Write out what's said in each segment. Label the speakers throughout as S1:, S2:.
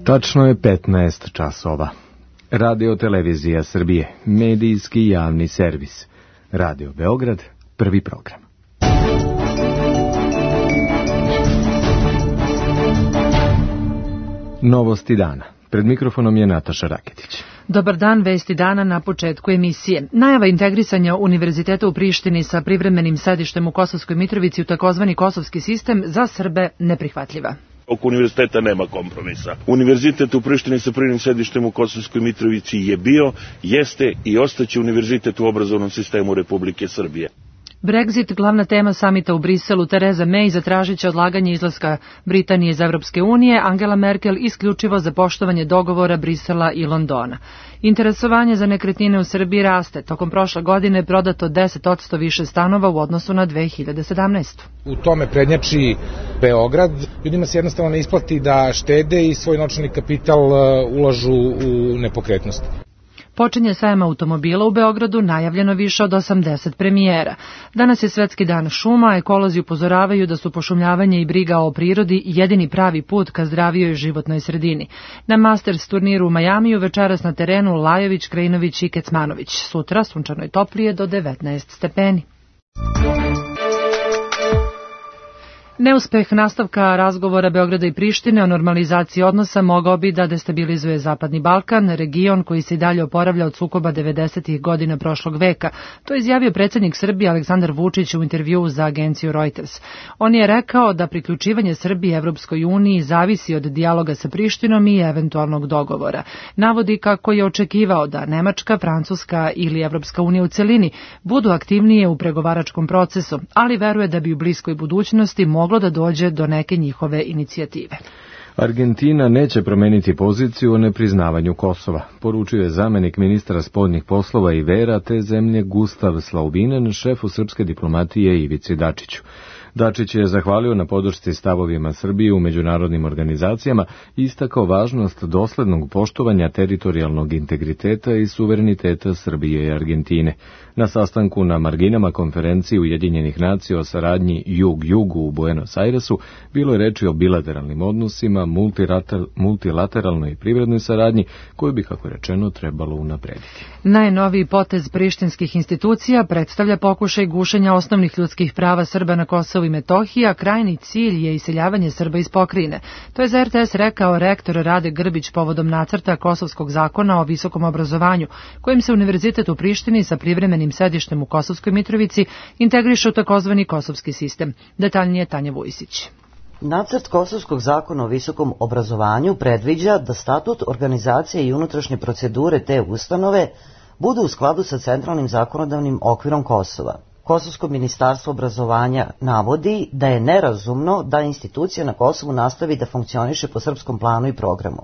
S1: Tačno je 15 časova. Radio Televizija Srbije, medijski javni servis. Radio Beograd, prvi program. Novosti dana. Pred mikrofonom je Nataša Raketić.
S2: Dobar dan, vesti dana na početku emisije. Najava integrisanja Univerziteta u Prištini sa privremenim sedištem u Kosovskoj Mitrovici u takozvani kosovski sistem za Srbe neprihvatljiva.
S3: Oko univerziteta nema kompromisa. Univerzitet u Prištini sa privremenim sedištem u Kosovskoj Mitrovici je bio, jeste i ostaće univerzitet u obrazovnom sistemu Republike Srbije.
S2: Brexit, glavna tema samita u Briselu. Tereza May zatražit će odlaganje izlaska Britanije iz Evropske unije, Angela Merkel isključivo za poštovanje dogovora Brisela i Londona. Interesovanje za nekretnine u Srbiji raste. Tokom prošle godine je prodato 10% više stanova u odnosu na 2017.
S4: U tome prednjači Beograd. Ljudima se jednostavno ne isplati da štede i svoj novčani kapital ulažu u nepokretnosti.
S2: Počinje sajam automobila u Beogradu, najavljeno više od 80 premijera. Danas je Svetski dan šuma, ekolozi upozoravaju da su pošumljavanje i briga o prirodi jedini pravi put ka zdravijoj životnoj sredini. Na Masters turniru u Majamiju večeras na terenu Lajović, Krajinović i Kecmanović. Sutra sunčano i toplije do 19 stepeni. Neuspeh nastavka razgovora Beograda i Prištine o normalizaciji odnosa mogao bi da destabilizuje Zapadni Balkan, region koji se i dalje oporavlja od sukoba 90. godina prošlog veka. To je izjavio predsjednik Srbije Aleksandar Vučić u intervjuu za agenciju Reuters. On je rekao da priključivanje Srbije Evropskoj uniji zavisi od dijaloga sa Prištinom i eventualnog dogovora. Navodi kako je očekivao da Nemačka, Francuska ili Evropska unija u celini budu aktivnije u pregovaračkom procesu, ali veruje da bi u bliskoj budućnosti moglo da dođe do neke njihove inicijative.
S1: Argentina neće promeniti poziciju o nepriznavanju Kosova, poručio je zamenik ministra spoljnih poslova i vera te zemlje Gustav Slaubinen, šefu srpske diplomatije Ivici Dačiću. Dačić je zahvalio na podršci stavovima Srbije u međunarodnim organizacijama i istakao važnost doslednog poštovanja teritorijalnog integriteta i suvereniteta Srbije i Argentine. Na sastanku na marginama konferencije Ujedinjenih nacija o saradnji Jug-Jugu u Buenos Airesu bilo je reči o bilateralnim odnosima, multilateralnoj i privrednoj saradnji koju bi, kako rečeno, trebalo unaprediti.
S2: Najnoviji potez prištinskih institucija predstavlja pokušaj gušenja osnovnih ljudskih prava Srba na Kosovu i Metohiji, a krajni cilj je iseljavanje Srba iz pokrajine. To je za RTS rekao rektor Rade Grbić povodom nacrta Kosovskog zakona o visokom obrazovanju, kojim se Univerzitet u Prištini sa privremenim sedištem u Kosovskoj Mitrovici integriše u takozvani kosovski sistem. Detaljnije Tanja Vujsić.
S5: Nacrt Kosovskog zakona o visokom obrazovanju predviđa da statut, organizacije i unutrašnje procedure te ustanove budu u skladu sa centralnim zakonodavnim okvirom Kosova. Kosovsko ministarstvo obrazovanja navodi da je nerazumno da institucija na Kosovu nastavi da funkcioniše po srpskom planu i programu.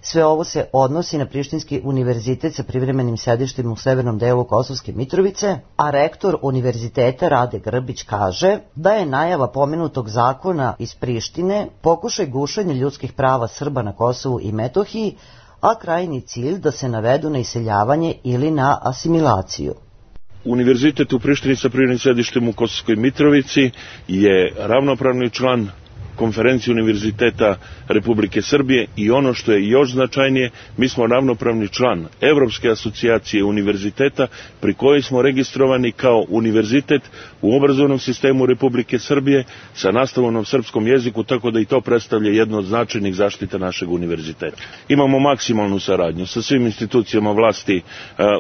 S5: Sve ovo se odnosi na Prištinski univerzitet sa privremenim sedištem u severnom delu Kosovske Mitrovice, a rektor univerziteta Rade Grbić kaže da je najava pomenutog zakona iz Prištine pokušaj gušenja ljudskih prava Srba na Kosovu i Metohiji, a krajnji cilj da se navedu na iseljavanje ili na asimilaciju.
S3: Univerzitet u Prištini sa privremenim sedištem u Kosovskoj Mitrovici je ravnopravni član konferencije Univerziteta Republike Srbije i ono što je još značajnije, mi smo ravnopravni član Evropske asocijacije univerziteta pri kojoj smo registrovani kao univerzitet u obrazovnom sistemu Republike Srbije sa nastavom na srpskom jeziku, tako da i to predstavlja jedno od značajnih zaštita našeg univerziteta. Imamo maksimalnu saradnju sa svim institucijama vlasti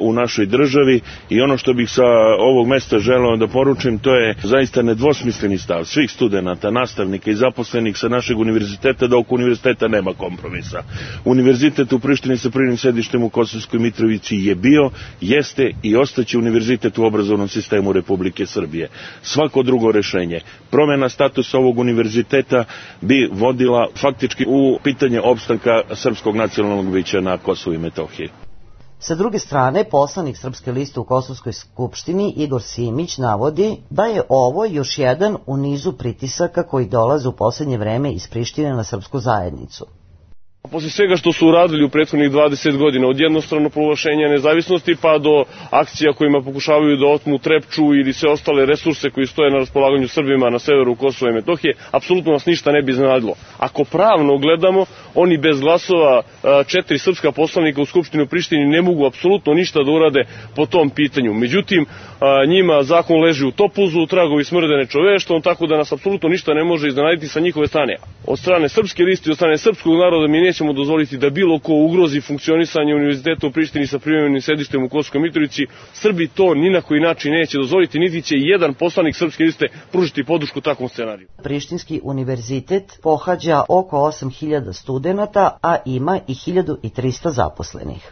S3: u našoj državi i ono što bih sa ovog mesta želeo da poručim, to je zaista nedvosmisleni stav svih studenata, nastavnika i zaposlenih sa našeg univerziteta da oko univerziteta nema kompromisa. Univerzitet u Prištini sa privremenim sedištem u Kosovskoj Mitrovici je bio, jeste i ostaće univerzitet u obrazovnom sistemu Republike Srbije. Svako drugo rešenje, promjena statusa ovog univerziteta bi vodila faktički u pitanje opstanka srpskog nacionalnog bića na Kosovu i Metohiji.
S5: Sa druge strane, poslanik Srpske liste u Kosovskoj skupštini Igor Simić navodi da je ovo još jedan u nizu pritisaka koji dolaze u posljednje vreme iz Prištine na srpsku zajednicu.
S6: Posle svega što su uradili u prethodnih 20 godina, od jednostrano proglašenja nezavisnosti pa do akcija kojima pokušavaju da otmu Trepču ili sve ostale resurse koji stoje na raspolaganju Srbima na severu Kosova i Metohije, apsolutno nas ništa ne bi iznenadilo. Ako pravno gledamo, oni bez glasova 4 srpska poslanika u Skupštini u Prištini ne mogu apsolutno ništa da urade po tom pitanju. Međutim, njima zakon leži u topuzu, tragovi smrde nečoveštom, tako da nas apsolutno ništa ne može iznenaditi sa njihove strane. Od strane srpske liste i od strane srpskog naroda mi nećemo dozvoliti da bilo ko ugrozi funkcionisanje univerziteta u Prištini sa privremenim sedištem u Kosovskoj Mitrovici. Srbi to ni na koji način neće dozvoliti, niti će jedan poslanik srpske liste pružiti podršku takvom scenariju.
S5: Prištinski univerzitet pohađa oko 8.000 studenata, a ima i 1.300 zaposlenih.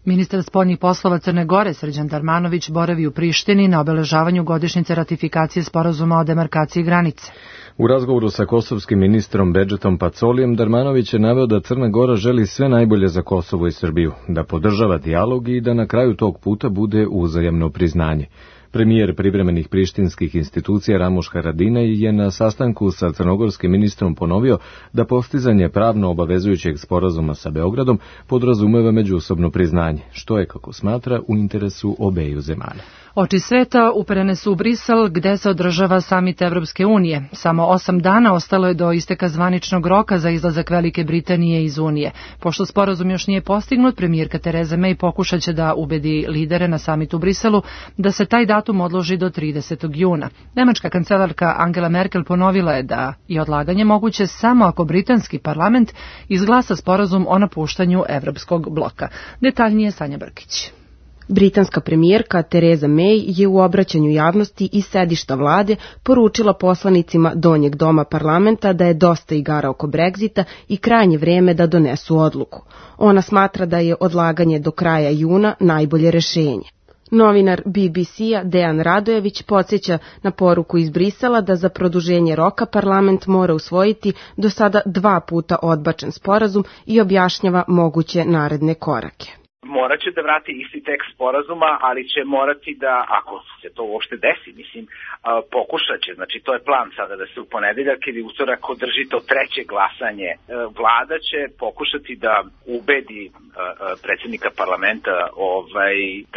S2: Ministar spoljnih poslova Crne Gore Srđan Darmanović boravi u Prištini na obeležavanju godišnjice ratifikacije sporazuma o demarkaciji granice.
S1: U razgovoru sa kosovskim ministrom Bedžetom Pacolijem, Darmanović je naveo da Crna Gora želi sve najbolje za Kosovo i Srbiju, da podržava dijalog i da na kraju tog puta bude uzajamno priznanje. Premijer privremenih prištinskih institucija Ramuš Haradinaj je na sastanku sa crnogorskim ministrom ponovio da postizanje pravno obavezujućeg sporazuma sa Beogradom podrazumeva međusobno priznanje, što je, kako smatra, u interesu obeju zemalja.
S2: Oči sveta uperene su u Brisel, gde se održava samit Evropske unije. Samo 8 dana ostalo je do isteka zvaničnog roka za izlazak Velike Britanije iz Unije. Pošto sporazum još nije postignut, premijerka Tereza May pokušat će da ubedi lidere na samitu u Briselu da se taj datum odloži do 30. juna. Nemačka kancelarka Angela Merkel ponovila je da je odlaganje moguće samo ako britanski parlament izglasa sporazum o napuštanju evropskog bloka. Detaljnije Sanja Brkić.
S7: Britanska premijerka Tereza May je u obraćanju javnosti iz sedišta vlade poručila poslanicima donjeg doma parlamenta da je dosta igara oko Brexita i krajnje vreme da donesu odluku. Ona smatra da je odlaganje do kraja juna najbolje rešenje. Novinar BBC-a Dejan Radojević podsjeća na poruku iz Brisela da za produženje roka parlament mora usvojiti do sada 2 puta odbačen sporazum i objašnjava moguće naredne korake.
S8: Morat će da vrati isti tekst sporazuma, ali će morati da, ako se to uopšte desi, pokušat će, znači to je plan sada da se u ponedeljak ili utorak održi to treće glasanje. Vlada će pokušati da ubedi predsjednika parlamenta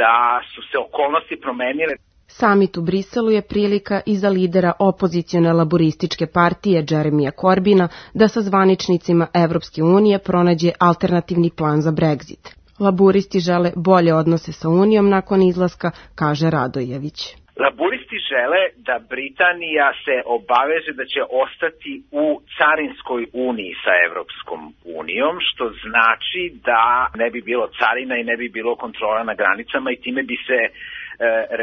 S8: da su se okolnosti promenile.
S7: Samit u Briselu je prilika i za lidera opozicione laborističke partije Jeremija Corbina da sa zvaničnicima Evropske unije pronađe alternativni plan za Brexit. Laburisti žele bolje odnose sa Unijom nakon izlaska, kaže Radojević.
S8: Laburisti žele da Britanija se obaveže da će ostati u carinskoj uniji sa Evropskom unijom, što znači da ne bi bilo carina i ne bi bilo kontrola na granicama i time bi se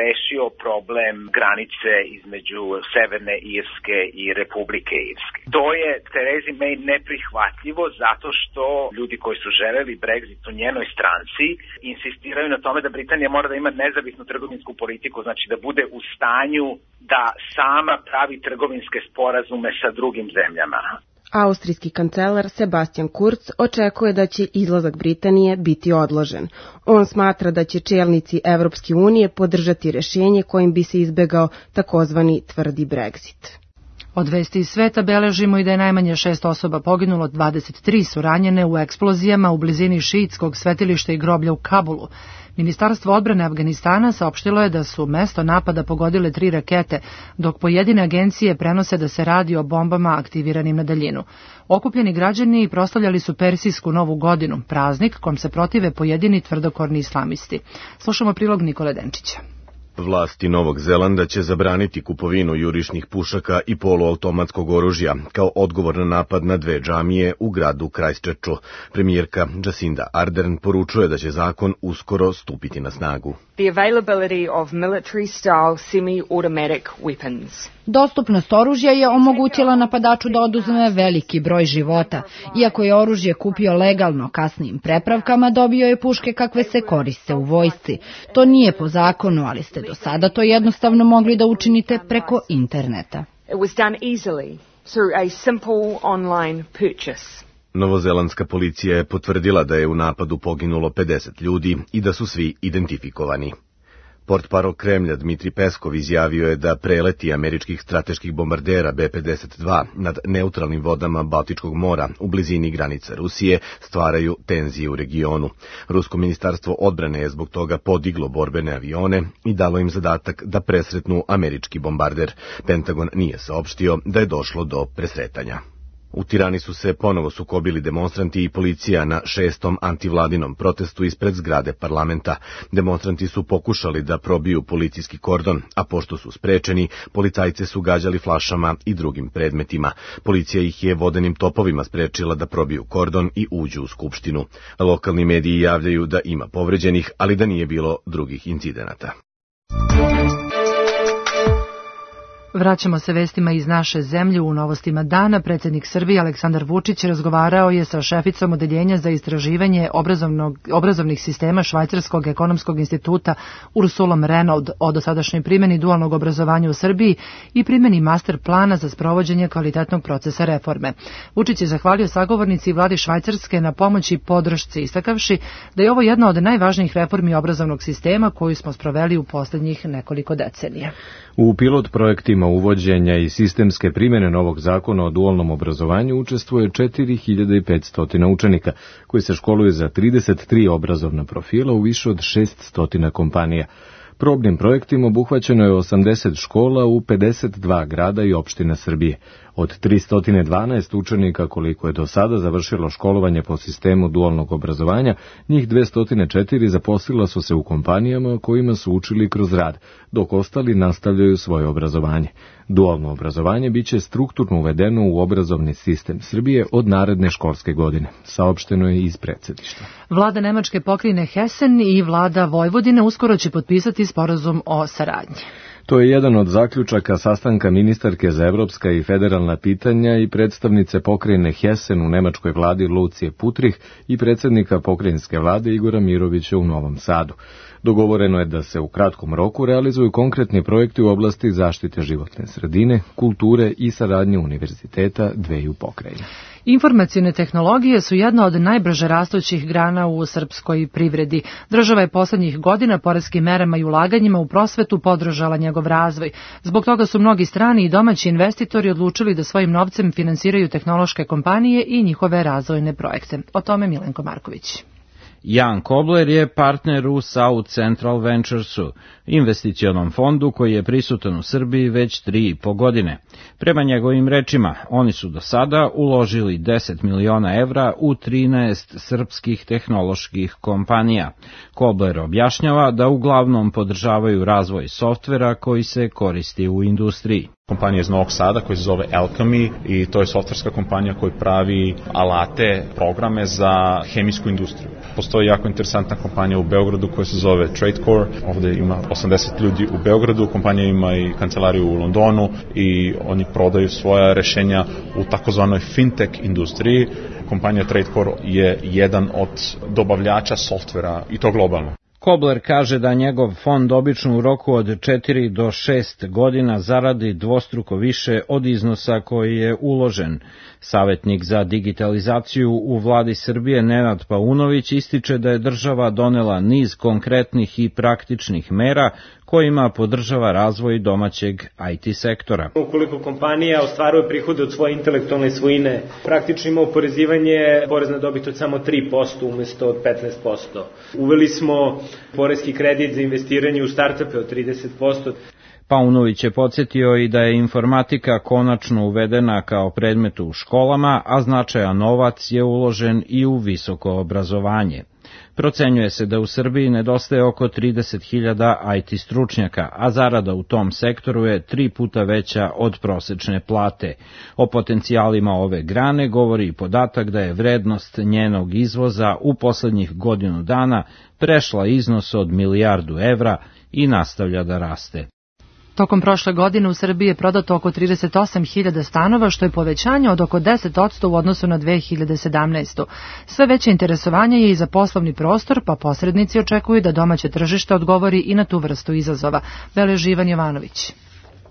S8: rešio problem granice između Severne Irske i Republike Irske. To je Terezi May neprihvatljivo zato što ljudi koji su želeli Brexit u njenoj stranci insistiraju na tome da Britanija mora da ima nezavisnu trgovinsku politiku, znači da bude u stanju da sama pravi trgovinske sporazume sa drugim zemljama.
S7: Austrijski kancelar Sebastian Kurz očekuje da će izlazak Britanije biti odložen. On smatra da će čelnici Evropske unije podržati rešenje kojim bi se izbegao takozvani tvrdi Brexit.
S2: Od vesti iz sveta beležimo i da je najmanje 6 osoba poginulo, 23 su ranjene u eksplozijama u blizini šiitskog svetilišta i groblja u Kabulu. Ministarstvo odbrane Afganistana saopštilo je da su mesto napada pogodile 3 rakete, dok pojedine agencije prenose da se radi o bombama aktiviranim na daljinu. Okupljeni građani proslavljali su Persijsku novu godinu, praznik kom se protive pojedini tvrdokorni islamisti. Slušamo prilog Nikole Denčića.
S9: Vlasti Novog Zelanda će zabraniti kupovinu jurišnih pušaka i poluautomatskog oružja kao odgovor na napad na 2 džamije u gradu Christchurchu. Premijerka Jacinda Ardern poručuje da će zakon uskoro stupiti na snagu.
S10: The availability of military-style semi-automatic weapons.
S11: Dostupnost oružja je omogućila napadaču da oduzme veliki broj života. Iako je oružje kupio legalno kasnijim prepravkama, dobio je puške kakve se koriste u vojsci. To nije po zakonu, ali ste do sada to jednostavno mogli da učinite preko interneta.
S10: It was done easily through a simple online purchase.
S9: Novozelandska policija je potvrdila da je u napadu poginulo 50 ljudi i da su svi identifikovani. Portparol Kremlja Dmitri Peskov izjavio je da preleti američkih strateških bombardera B-52 nad neutralnim vodama Baltičkog mora u blizini granica Rusije stvaraju tenzije u regionu. Rusko ministarstvo odbrane je zbog toga podiglo borbene avione i dalo im zadatak da presretnu američki bombarder. Pentagon nije saopštio da je došlo do presretanja. U Tirani su se ponovo sukobili demonstranti i policija na 6. antivladinom protestu ispred zgrade parlamenta. Demonstranti su pokušali da probiju policijski kordon, a pošto su sprečeni, policajce su gađali flašama i drugim predmetima. Policija ih je vodenim topovima sprečila da probiju kordon i uđu u skupštinu. Lokalni mediji javljaju da ima povređenih, ali da nije bilo drugih incidenata.
S2: Vraćamo se vestima iz naše zemlje. U novostima dana predsjednik Srbije Aleksandar Vučić razgovarao je sa šeficom odeljenja za istraživanje obrazovnih sistema Švajcarskog ekonomskog instituta Ursulom Renaud o dosadašnjoj primjeni dualnog obrazovanja u Srbiji i primjeni master plana za sprovođenje kvalitetnog procesa reforme. Vučić je zahvalio sagovornici i vladi Švajcarske na pomoći i podršci, istakavši da je ovo jedna od najvažnijih reformi obrazovnog sistema koju smo sproveli u posljednjih nekoliko decenija.
S1: U pilot projektima uvođenja i sistemske primjene novog zakona o dualnom obrazovanju učestvuje 4500 učenika, koji se školuju za 33 obrazovna profila u više od 600 kompanija. Probnim projektima obuhvaćeno je 80 škola u 52 grada i opština Srbije. Od 312 učenika koliko je do sada završilo školovanje po sistemu dualnog obrazovanja, njih 204 zaposlila su se u kompanijama kojima su učili kroz rad, dok ostali nastavljaju svoje obrazovanje. Dualno obrazovanje biće strukturno uvedeno u obrazovni sistem Srbije od naredne školske godine, saopšteno je iz predsjedništva.
S2: Vlada Nemačke pokrajine Hessen i vlada Vojvodine uskoro će potpisati sporazum o saradnji.
S1: To je jedan od zaključaka sastanka ministarke za evropska i federalna pitanja i predstavnice pokrajine Hessen u nemačkoj vladi Lucije Putrih i predsjednika pokrajinske vlade Igora Mirovića u Novom Sadu. Dogovoreno je da se u kratkom roku realizuju konkretni projekti u oblasti zaštite životne sredine, kulture i saradnje univerziteta dveju pokrajina.
S2: Informacione tehnologije su jedna od najbrže rastućih grana u srpskoj privredi. Država je poslednjih godina poreskim merama i ulaganjima u prosvetu podržala njegov razvoj. Zbog toga su mnogi strani i domaći investitori odlučili da svojim novcem finansiraju tehnološke kompanije i njihove razvojne projekte. O tome Milenko Marković.
S12: Jan Kobler je partner u South Central Venturesu, investicionom fondu koji je prisutan u Srbiji već 3,5 godine. Prema njegovim rečima, oni su do sada uložili 10 miliona evra u 13 srpskih tehnoloških kompanija. Kobler objašnjava da uglavnom podržavaju razvoj softvera koji se koristi u industriji.
S13: Kompanija iz Novog Sada koja se zove Alchemy i to je softverska kompanija koja pravi alate, programe za hemijsku industriju. Postoji jako interesantna kompanija u Beogradu koja se zove TradeCore, ovde ima 80 ljudi u Beogradu, kompanija ima i kancelariju u Londonu i oni prodaju svoja rešenja u takozvanoj fintech industriji. Kompanija TradeCore je jedan od dobavljača softvera i to globalno.
S12: Kobler kaže da njegov fond obično u roku od 4 do 6 godina zaradi dvostruko više od iznosa koji je uložen. Savjetnik za digitalizaciju u vladi Srbije Nenad Paunović ističe da je država donela niz konkretnih i praktičnih mera kojima podržava razvoj domaćeg IT sektora.
S14: Ukoliko kompanija ostvaruje prihode od svoje intelektualne svojine, praktično ima oporezivanje porez na dobit od samo 3% umjesto od 15%. Uveli smo poreski kredit za investiranje u startupe od 30%.
S12: Paunović je podsjetio i da je informatika konačno uvedena kao predmet u školama, a značajan novac je uložen i u visoko obrazovanje. Procenjuje se da u Srbiji nedostaje oko 30.000 IT stručnjaka, a zarada u tom sektoru je 3 puta veća od prosečne plate. O potencijalima ove grane govori i podatak da je vrednost njenog izvoza u poslednjih godinu dana prešla iznos od 1 milijardu evra i nastavlja da raste.
S2: Tokom prošle godine u Srbiji je prodato oko 38.000 stanova, što je povećanje od oko 10% u odnosu na 2017. Sve veće interesovanje je i za poslovni prostor, pa posrednici očekuju da domaće tržište odgovori i na tu vrstu izazova. Beleži Ivan Jovanović.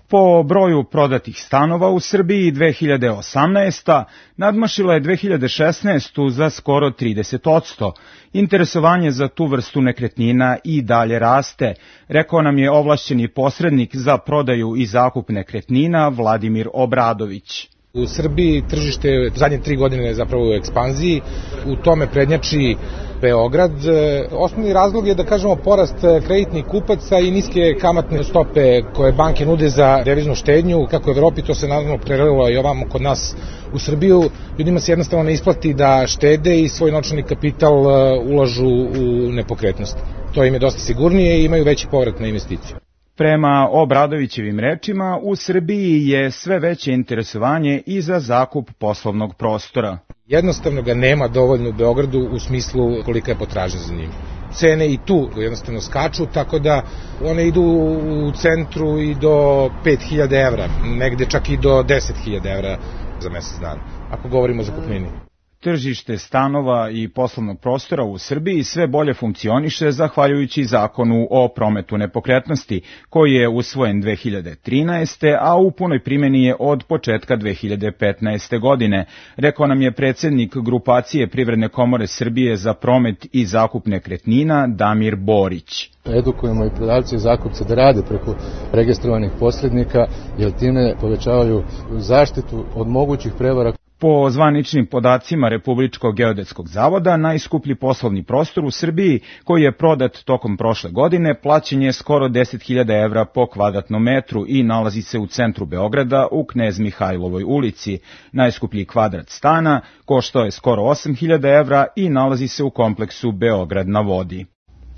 S15: Po broju prodatih stanova u Srbiji 2018. nadmašila je 2016. za skoro 30%. Interesovanje za tu vrstu nekretnina i dalje raste, rekao nam je ovlašćeni posrednik za prodaju i zakup nekretnina Vladimir Obradović.
S4: U Srbiji tržište zadnje 3 godine je zapravo u ekspanziji, u tome prednjači Beograd. Osnovni razlog je da kažemo porast kreditnih kupaca i niske kamatne stope koje banke nude za deviznu štednju. Kako u Evropi, to se naravno prelilo i ovamo kod nas u Srbiju. Ljudima se jednostavno ne isplati da štede i svoj novčani kapital ulažu u nepokretnosti. To im je dosta sigurnije i imaju veći povrat na investiciju.
S15: Prema Obradovićevim rečima, u Srbiji je sve veće interesovanje i za zakup poslovnog prostora.
S4: Jednostavno ga nema dovoljno u Beogradu u smislu kolika je potražnja za njim. Cene i tu jednostavno skaču, tako da one idu u centru i do 5.000 evra, negde čak i do 10.000 evra za mesec dana, ako govorimo o zakupnini.
S15: Tržište stanova i poslovnog prostora u Srbiji sve bolje funkcioniše zahvaljujući zakonu o prometu nepokretnosti, koji je usvojen 2013. a u punoj primjeni je od početka 2015. godine, rekao nam je predsjednik grupacije Privredne komore Srbije za promet i zakup nekretnina Damir Borić.
S16: Edukujemo i prodavce i zakupce da rade preko registrovanih posrednika, jer time povećavaju zaštitu od mogućih prevara.
S15: Po zvaničnim podacima Republičkog geodetskog zavoda, najskuplji poslovni prostor u Srbiji, koji je prodat tokom prošle godine, plaćen je skoro 10.000 evra po kvadratnom metru i nalazi se u centru Beograda u Knez Mihajlovoj ulici. Najskuplji kvadrat stana koštao je skoro 8.000 evra i nalazi se u kompleksu Beograd na vodi.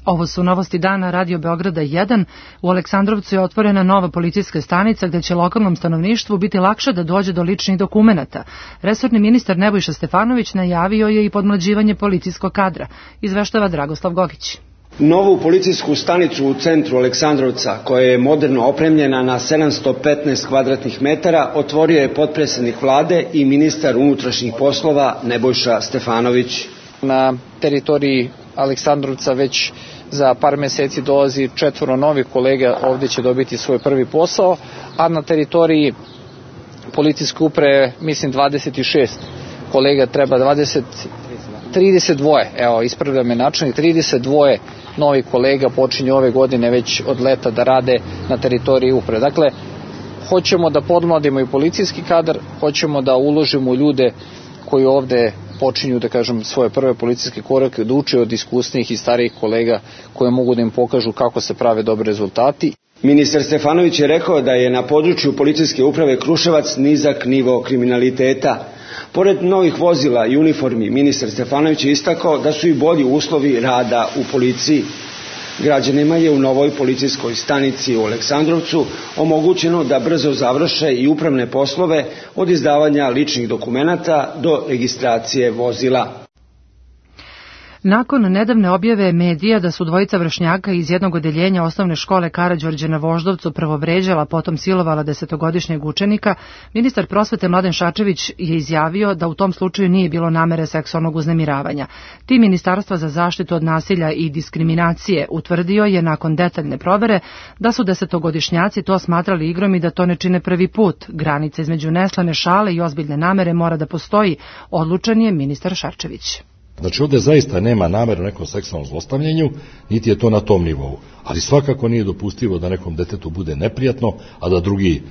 S2: Ovo su novosti dana Radio Beograda 1. U Aleksandrovcu je otvorena nova policijska stanica gde će lokalnom stanovništvu biti lakše da dođe do ličnih dokumenata. Resorni ministar Nebojša Stefanović najavio je i podmlađivanje policijskog kadra. Izveštava Dragoslav Gogić.
S17: Novu policijsku stanicu u centru Aleksandrovca, koja je moderno opremljena na 715 kvadratnih metara, otvorio je potpredsednik vlade i ministar unutrašnjih poslova Nebojša Stefanović.
S18: Na teritoriji Aleksandrovca već za par meseci dolazi 4 novih kolega, ovdje će dobiti svoj prvi posao, a na teritoriji policijske uprave, mislim 26 kolega treba, 32, evo ispravlja me načelnik, 32 novih kolega počinju ove godine već od leta da rade na teritoriji uprave. Dakle, hoćemo da podmladimo i policijski kadar, hoćemo da uložimo u ljude koji ovde počinju, da kažem, svoje prve policijske korake, da uče od iskusnijih i starijih kolega koje mogu da im pokažu kako se prave dobri rezultati.
S17: Ministar Stefanović je rekao da je na području policijske uprave Kruševac nizak nivo kriminaliteta. Pored novih vozila i uniformi, ministar Stefanović je istakao da su i bolji uslovi rada u policiji. Građanima je u novoj policijskoj stanici u Aleksandrovcu omogućeno da brzo završe i upravne poslove od izdavanja ličnih dokumenata do registracije vozila.
S2: Nakon nedavne objave medija da su dvojica vršnjaka iz jednog odeljenja osnovne škole Karađorđe na Voždovcu prvo vređala, potom silovala 10-godišnjeg učenika, ministar prosvete Mladen Šarčević je izjavio da u tom slučaju nije bilo namere seksualnog uznemiravanja. Tim Ministarstva za zaštitu od nasilja i diskriminacije utvrdio je nakon detaljne provere da su 10-godišnjaci to smatrali igrom i da to ne čine prvi put. Granica između neslane šale i ozbiljne namere mora da postoji, odlučan je ministar Šarčević.
S19: Znači ovdje zaista nema nameru nekom seksualnom zlostavljanju, niti je to na tom nivou. Ali svakako nije dopustivo da nekom detetu bude neprijatno, a da drugi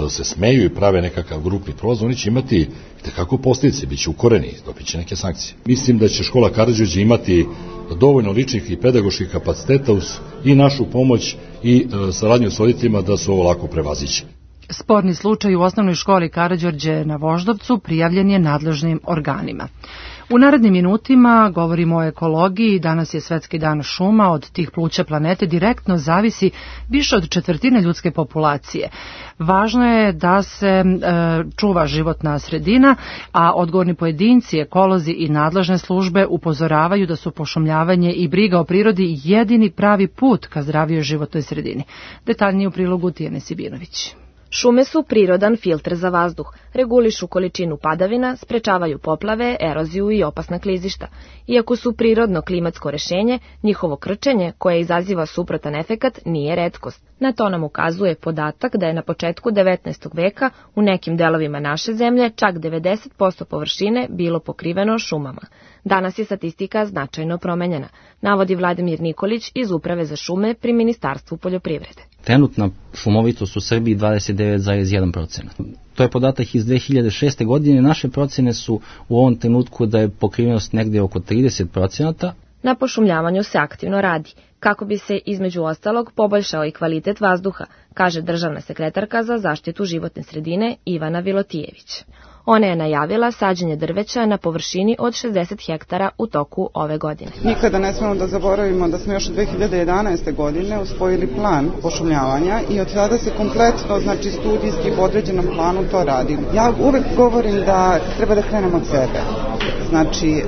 S19: se smeju i prave nekakav grupni prolaz. Oni će imati itekako posljedice, bit će ukoreni, dobit će neke sankcije. Mislim da će škola Karađorđe imati dovoljno ličnih i pedagoških kapaciteta uz i našu pomoć i saradnju s roditeljima da se ovo lako prevaziće.
S2: Sporni slučaj u osnovnoj školi Karađorđe na Voždovcu prijavljen je nadležnim organima. U narednim minutima govorimo o ekologiji. Danas je Svetski dan šuma. Od tih pluća planete direktno zavisi više od 1/4 ljudske populacije. Važno je da se čuva životna sredina, a odgovorni pojedinci, ekolozi i nadležne službe upozoravaju da su pošumljavanje i briga o prirodi jedini pravi put ka zdravijoj životnoj sredini. Detaljnije u prilogu Tijene Sibinović.
S20: Šume su prirodan filter za vazduh, regulišu količinu padavina, sprečavaju poplave, eroziju i opasna klizišta. Iako su prirodno klimatsko rešenje, njihovo krčenje, koje izaziva suprotan efekat, nije retkost. Na to nam ukazuje podatak da je na početku 19. veka u nekim delovima naše zemlje čak 90% površine bilo pokriveno šumama. Danas je statistika značajno promenjena, navodi Vladimir Nikolić iz Uprave za šume pri Ministarstvu poljoprivrede.
S21: Trenutna šumovitost u Srbiji 29,1%. To je podatak iz 2006. godine. Naše procene su u ovom trenutku da je pokrivenost negde oko 30%.
S20: Na pošumljavanju se aktivno radi, kako bi se između ostalog poboljšao i kvalitet vazduha, kaže državna sekretarka za zaštitu životne sredine Ivana Vilotijević. Ona je najavila sađenje drveća na površini od 60 hektara u toku ove godine.
S22: Nikada ne smemo da zaboravimo da smo još 2011. godine usvojili plan pošumljavanja i od tada se kompletno, znači studijski po određenom planu to radi. Ja uvek govorim da treba da krenemo od sebe. Znači,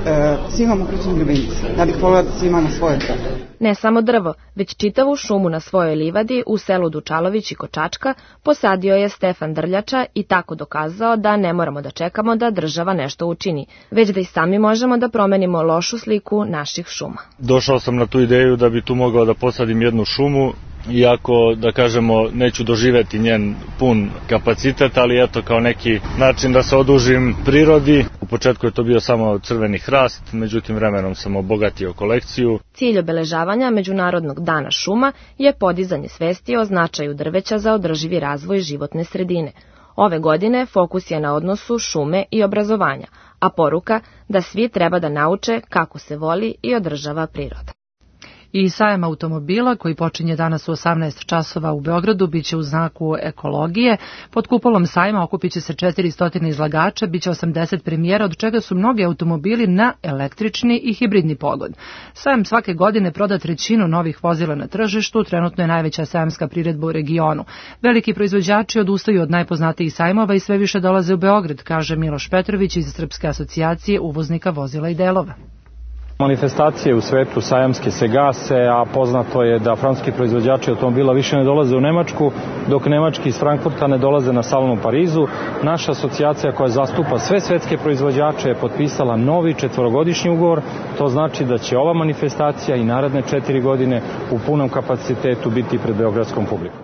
S22: svi imamo kućne ljubimce. Ja bih voljela da svi imamo svoje drvo.
S20: Ne samo drvo, već čitavu šumu na svojoj livadi u selu Dučalović i Kočačka posadio je Stefan Drljača i tako dokazao da ne moramo da čekamo da država nešto učini, već da i sami možemo da promenimo lošu sliku naših šuma.
S23: Došao sam na tu ideju da bi tu mogao da posadim jednu šumu, iako, da kažemo, neću doživeti njen pun kapacitet, ali eto kao neki način da se odužim prirodi. U početku je to bio samo crveni hrast, međutim vremenom sam obogatio kolekciju.
S20: Cilj obeležavanja Međunarodnog dana šuma je podizanje svesti o značaju drveća za održivi razvoj životne sredine. Ove godine fokus je na odnosu šume i obrazovanja, a poruka da svi treba da nauče kako se voli i održava priroda.
S2: I sajam automobila koji počinje danas u 18 časova u Beogradu biće u znaku ekologije. Pod kupolom sajma okupit će se 400 izlagača, biće 80 premijera, od čega su mnogi automobili na električni i hibridni pogon. Sajam svake godine proda trećinu novih vozila na tržištu, trenutno je najveća sajamska priredba u regionu. Veliki proizvođači odustaju od najpoznatijih sajmova i sve više dolaze u Beograd, kaže Miloš Petrović iz Srpske asocijacije uvoznika vozila i delova.
S24: Manifestacije u svetu sajamske se gase, a poznato je da francuski proizvođači automobila više ne dolaze u Nemačku, dok nemački iz Frankfurta ne dolaze na salon u Parizu. Naša asocijacija koja zastupa sve svetske proizvođače je potpisala novi 4-godišnji ugovor. To znači da će ova manifestacija i naredne 4 godine u punom kapacitetu biti pred beogradskom publikom.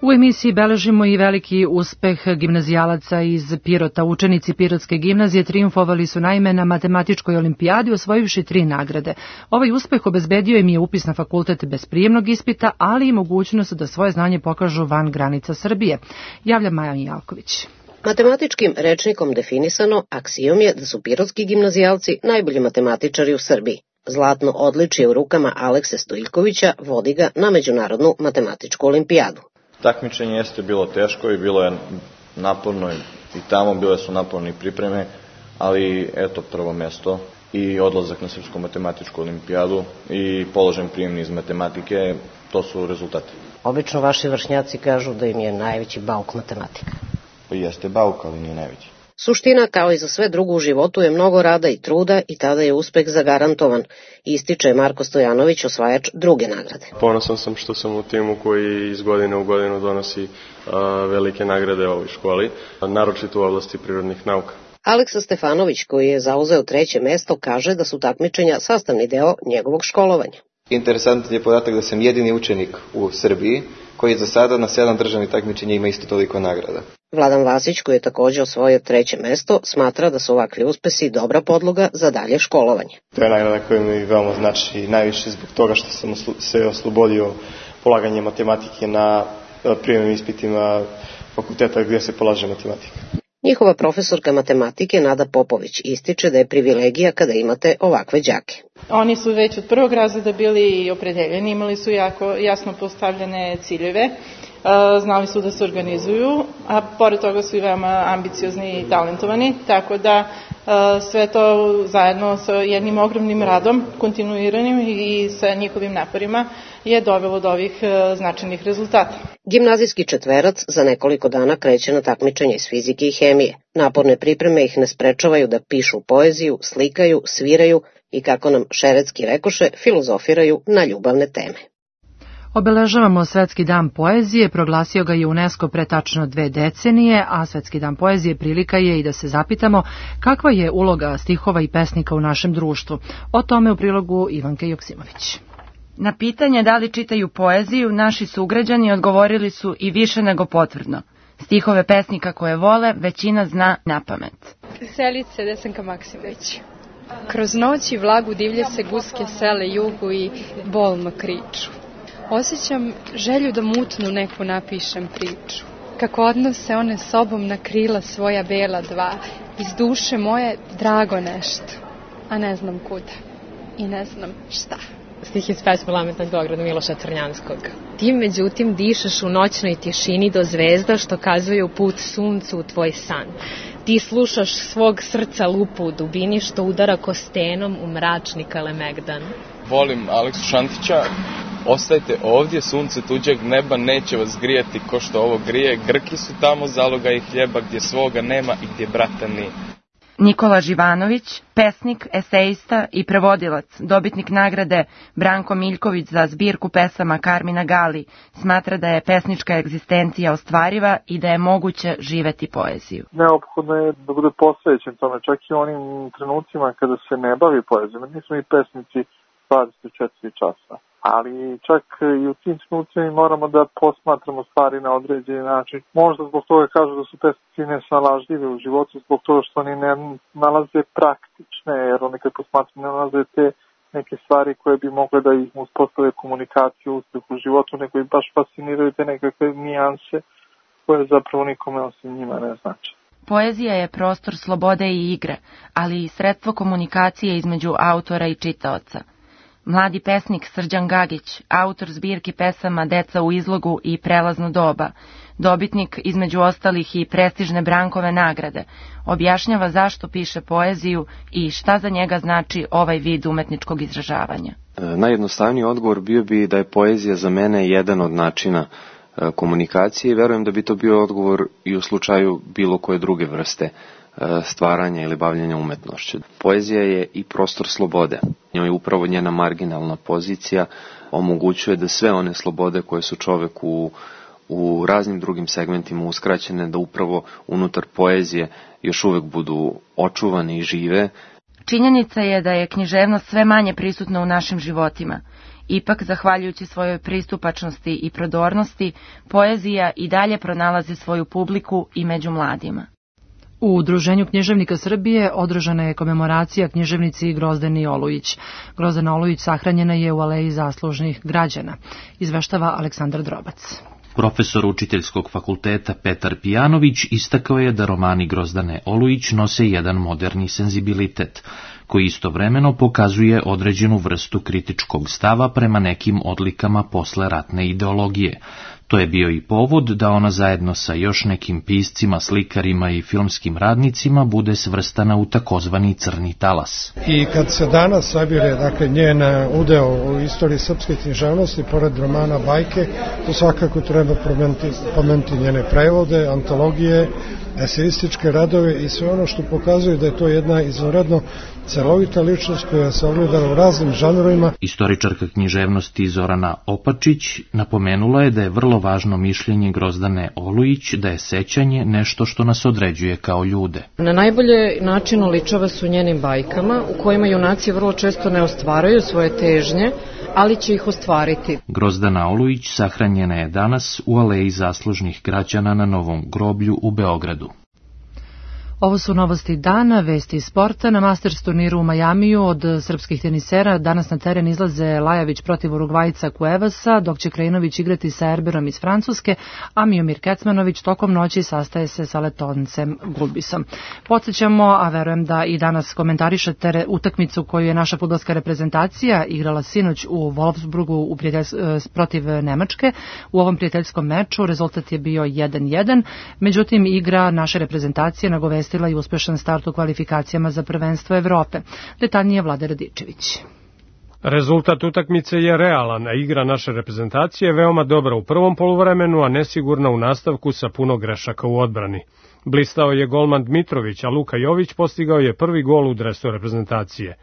S2: U emisiji beležimo i veliki uspeh gimnazijalaca iz Pirota. Učenici Pirotske gimnazije trijumfovali su naime na matematičkoj olimpijadi osvojivši 3 nagrade. Ovaj uspeh obezbedio im je upis na fakultet bez prijemnog ispita, ali i mogućnost da svoje znanje pokažu van granica Srbije. Javlja Maja Jalković.
S25: Matematičkim rečnikom definisano, aksijom je da su pirotski gimnazijalci najbolji matematičari u Srbiji. Zlatno odličje u rukama Alekse Stojiljkovića vodi ga na Međunarodnu matematičku olimpijadu.
S26: Takmičenje jeste bilo teško i bilo je naporno i tamo bile su naporne pripreme, ali eto prvo mesto i odlazak na Srpsku matematičku olimpijadu i položen prijemni iz matematike, to su rezultati.
S25: Obično vaši vršnjaci kažu da im je najveći bauk matematika.
S26: Jeste bauk, ali nije najveći.
S25: Suština, kao i za sve drugo u životu, je mnogo rada i truda i tada je uspeh zagarantovan, ističe Marko Stojanović, osvajač druge nagrade.
S27: Ponosan sam što sam u timu koji iz godine u godinu donosi velike nagrade ovoj školi, naročito u oblasti prirodnih nauka.
S25: Aleksa Stefanović, koji je zauzeo 3. mesto, kaže da su takmičenja sastavni deo njegovog školovanja.
S28: Interesantan je podatak da sam jedini učenik u Srbiji koji za sada na 7 državnih takmičenja ima isto toliko nagrada.
S25: Vladan Vasić, koji je također osvojio 3. mesto, smatra da su ovakvi uspesi dobra podloga za dalje školovanje.
S28: To je nagrada koja mi veoma znači najviše zbog toga što sam se oslobodio polaganje matematike na prijemnim ispitima fakulteta gdje se polaže matematika.
S25: Njihova profesorka matematike Nada Popović ističe da je privilegija kada imate ovakve đake.
S29: Oni su već od prvog razreda bili opredeljeni, imali su jako jasno postavljene ciljeve, znali su da se organizuju, a pored toga su i veoma ambiciozni i talentovani, tako da sve to zajedno sa jednim ogromnim radom, kontinuiranim i sa njihovim naporima je dovelo do ovih značajnih rezultata.
S25: Gimnazijski četverac za nekoliko dana kreće na takmičenje iz fizike i hemije. Naporne pripreme ih ne sprečavaju da pišu poeziju, slikaju, sviraju i, kako nam Šerecki rekoše, filozofiraju na ljubavne teme.
S2: Obeležavamo Svetski dan poezije, proglasio ga je UNESCO pre tačno 2 decenije, a Svetski dan poezije prilika je i da se zapitamo kakva je uloga stihova i pesnika u našem društvu. O tome u prilogu Ivanke Joksimović.
S1: Na pitanje da li čitaju poeziju, naši sugrađani odgovorili su i više nego potvrdno. Stihove pesnika koje vole većina zna napamet.
S3: Selice Desanka Maksimović. Kroz noć i vlagu divlje se guske sele jugu i bolno kriču. Osjećam želju da mutnu neku napišem priču. Kako odnose one sobom na krila svoja bela dva, iz duše moje drago nešto, a ne znam kuda i ne znam šta.
S5: Stih iz pesme Lamet nad Beogradom Miloša Crnjanskog. Ti međutim dišeš u noćnoj tišini do zvezda što kazuju put suncu u tvoj san. Ti slušaš svog srca lupu u dubini što udara kostenom u mračni Kalemegdan.
S6: Volim Aleksu Šantića. Ostajte ovdje, sunce tuđeg neba neće vas grijati ko što ovo grije. Grki su tamo zaloga i hljeba gdje svoga nema i gdje brata nije.
S1: Nikola Živanović, pesnik, esejista i prevodilac, dobitnik nagrade Branko Miljković za zbirku pesama Karmina Gali, smatra da je pesnička egzistencija ostvariva i da je moguće živeti poeziju.
S7: Neophodno je da bude posvećen tome, čak i onim trenucima kada se ne bavi poezijom. Nismo i pesnici 24 časa. Ali čak i u tim trenucima moramo da posmatramo stvari na određeni način. Možda zbog toga kažu da su pesnici nesnalažljivi u životu, zbog toga što oni ne nalaze praktične, jer oni kad posmatraju ne nalaze te neke stvari koje bi mogle da ih uspostave komunikaciju, uspeh u životu, nego ih baš fasciniraju te nekakve nijanse koje zapravo nikome osim njima ne znači.
S1: Poezija je prostor slobode i igre, ali i sredstvo komunikacije između autora i čitaoca. Mladi pesnik Srđan Gagić, autor zbirki pesama Deca u izlogu i Prelazno doba, dobitnik između ostalih i prestižne Brankove nagrade, objašnjava zašto piše poeziju i šta za njega znači ovaj vid umetničkog izražavanja.
S8: Najjednostavniji odgovor bio bi da je poezija za mene jedan od načina komunikacije i verujem da bi to bio odgovor i u slučaju bilo koje druge vrste stvaranja ili bavljenja umetnošću. Poezija je i prostor slobode. Njoj upravo njena marginalna pozicija omogućuje da sve one slobode koje su čoveku u raznim drugim segmentima uskraćene, da upravo unutar poezije još uvek budu očuvane i žive.
S1: Činjenica je da je književnost sve manje prisutna u našim životima. Ipak, zahvaljujući svojoj pristupačnosti i prodornosti, poezija i dalje pronalazi svoju publiku i među mladima.
S2: U Udruženju književnika Srbije održana je komemoracija književnici Grozdani Olujić. Grozdana Olujić sahranjena je u Aleji zaslužnih građana, izveštava Aleksandar Drobac.
S9: Profesor učiteljskog fakulteta Petar Pijanović istakao je da romani Grozdane Olujić nose jedan moderni senzibilitet, koji istovremeno pokazuje određenu vrstu kritičkog stava prema nekim odlikama posleratne ideologije. To je bio i povod da ona zajedno sa još nekim piscima, slikarima i filmskim radnicima bude svrstana u takozvani crni talas.
S10: I kad se danas sabire, dakle, njen udeo u istoriji srpske književnosti, pored romana bajke, to svakako treba pomenuti njene prevode, antologije, eseističke radove i sve ono što pokazuje da je to jedna izvanredno celovita ličnost koja se ogleda u raznim žanrovima.
S9: Istoričarka književnosti Zorana Opačić napomenula je da je vrlo važno mišljenje Grozdane Olujić da je sećanje nešto što nas određuje kao ljude.
S11: Na najbolje način oličava su njenim bajkama u kojima junaci vrlo često ne ostvaraju svoje težnje, ali će ih ostvariti.
S9: Grozdana Olujić sahranjena je danas u Aleji zaslužnih građana na Novom groblju u Beogradu.
S2: Ovo su novosti dana, vesti iz sporta. Na Masters turniru u Majamiju od srpskih tenisera danas na teren izlaze Lajović protiv Urugvajca Cuevasa, dok će Krajinović igrati sa Erberom iz Francuske, a Miomir Kecmanović tokom noći sastaje se sa Letoncem Gulbisom. Podsjećamo, a verujem da i danas komentarišete utakmicu koju je naša fudbalska reprezentacija igrala sinoć u Wolfsburgu protiv Nemačke. U ovom prijateljskom meču rezultat je bio 1-1, međutim igra naše reprezentacije nagovestila i uspešan start u kvalifikacijama za prvenstvo Evrope. Detaljnije Vlade Radičević.
S30: Rezultat utakmice je realan, a igra naše reprezentacije veoma dobra u prvom poluvremenu, a nesigurna u nastavku sa puno grešaka u odbrani. Blistao je golman Dmitrović, a Luka Jović postigao je prvi gol u dresu reprezentacije.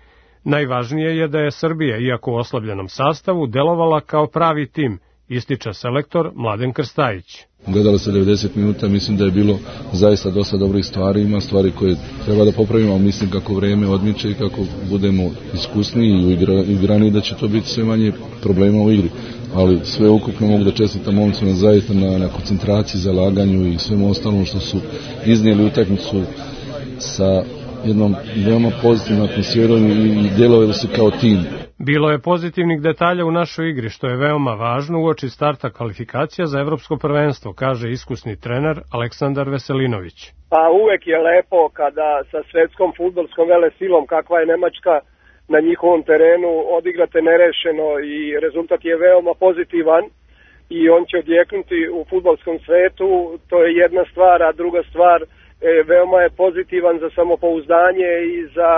S30: Najvažnije je da je Srbija, iako u oslabljenom sastavu, delovala kao pravi tim ističe selektor Mladen Krstajić.
S4: Gledalo se 90 minuta, mislim da je bilo zaista dosta dobrih stvari, ima stvari koje treba da popravimo, ali mislim kako vreme odmiče i kako budemo iskusniji i igrani da će to biti sve manje problema u igri. Ali sve ukupno mogu da čestitam momcima zaista na koncentraciji, zalaganju i svemu ostalom što su iznijeli utakmicu sa jednom veoma pozitivnom atmosferom i djelovali su kao tim.
S30: Bilo je pozitivnih detalja u našoj igri, što je veoma važno uoči starta kvalifikacija za evropsko prvenstvo, kaže iskusni trener Aleksandar Veselinović.
S12: Pa uvek je lepo kada sa svetskom fudbalskom velesilom kakva je Nemačka na njihovom terenu odigrate nerešeno i rezultat je veoma pozitivan i on će odjeknuti u fudbalskom svetu, to je jedna stvar, a druga stvar veoma je pozitivan za samopouzdanje i za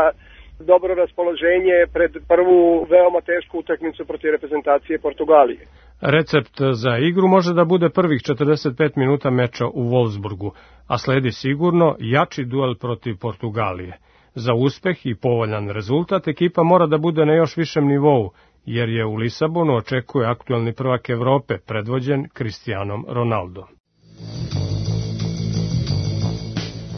S12: dobro raspoloženje pred prvu veoma tešku utakmicu protiv reprezentacije Portugalije.
S30: Recept za igru može da bude prvih 45 minuta meča u Wolfsburgu, a sledi sigurno jači duel protiv Portugalije. Za uspeh i povoljan rezultat ekipa mora da bude na još višem nivou, jer je u Lisabonu očekuje aktuelni prvak Evrope, predvođen Cristianom Ronaldom.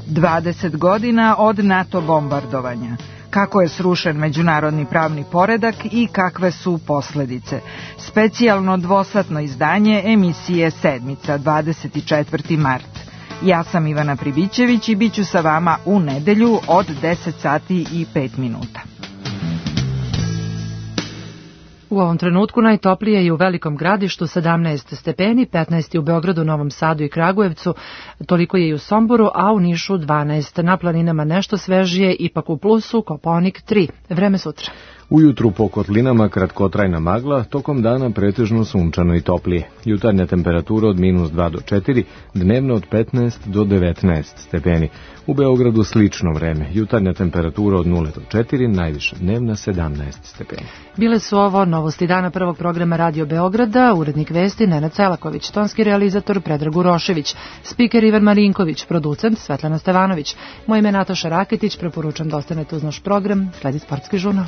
S13: 20 godina od NATO bombardovanja. Kako je srušen međunarodni pravni poredak i kakve su posledice. Specijalno dvosatno izdanje emisije Sedmica, 24. mart. Ja sam Ivana Pribićević i bit ću sa vama u nedelju od 10 sati i 5 minuta.
S2: U ovom trenutku najtoplije je u Velikom Gradištu 17 stepeni, 15 u Beogradu, Novom Sadu i Kragujevcu, toliko je i u Somboru, a u Nišu 12. Na planinama nešto svežije, ipak u plusu, Kopaonik 3. Vreme sutra.
S14: Ujutru po kotlinama kratkotrajna magla, tokom dana pretežno sunčano i toplije. Jutarnja temperatura od -2 do 4, dnevno od 15 do 19 stepeni. U Beogradu slično vreme, jutarnja temperatura od 0 do 4, najviša dnevna 17 stepeni.
S2: Bile su ovo novosti dana prvog programa Radio Beograda, urednik vesti Nenad Celaković, tonski realizator Predrag Urošević, spiker Ivan Marinković, producent Svetlana Stevanović. Moje ime je Nataša Raketić, preporučam da ostanete uz naš program, sledi sportski žurnal.